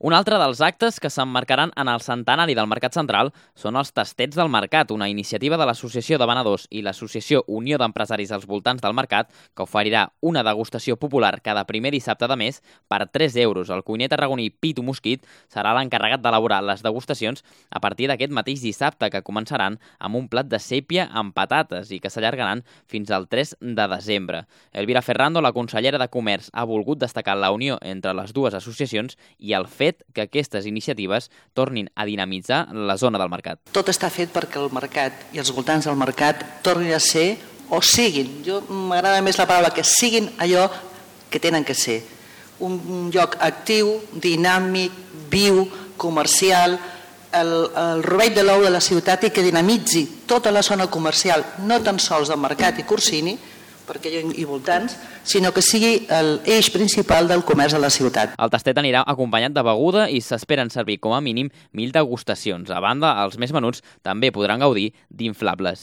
Un altre dels actes que s'emmarcaran en el centenari del Mercat Central són els Tastets del Mercat, una iniciativa de l'Associació de Venedors i l'Associació Unió d'Empresaris als voltants del mercat, que oferirà una degustació popular cada primer dissabte de mes per 3 euros. El cuiner tarragoní Pitu Mosquit serà l'encarregat d'elaborar les degustacions a partir d'aquest mateix dissabte, que començaran amb un plat de sèpia amb patates i que s'allargaran fins al 3 de desembre. Elvira Ferrando, la consellera de Comerç, ha volgut destacar la unió entre les dues associacions i el fet que aquestes iniciatives tornin a dinamitzar la zona del mercat. Tot està fet perquè el mercat i els voltants del mercat tornin a ser o siguin, m'agrada més la paraula, que siguin allò que tenen que ser. Un lloc actiu, dinàmic, viu, comercial, el rovell de l'ou de la ciutat i que dinamitzi tota la zona comercial, no tan sols del mercat i Corsini, perquè hi voltants, sinó que sigui l'eix principal del comerç de la ciutat. El tastet anirà acompanyat de beguda i s'esperen servir com a mínim 1.000 degustacions. A banda, els més menuts també podran gaudir d'inflables.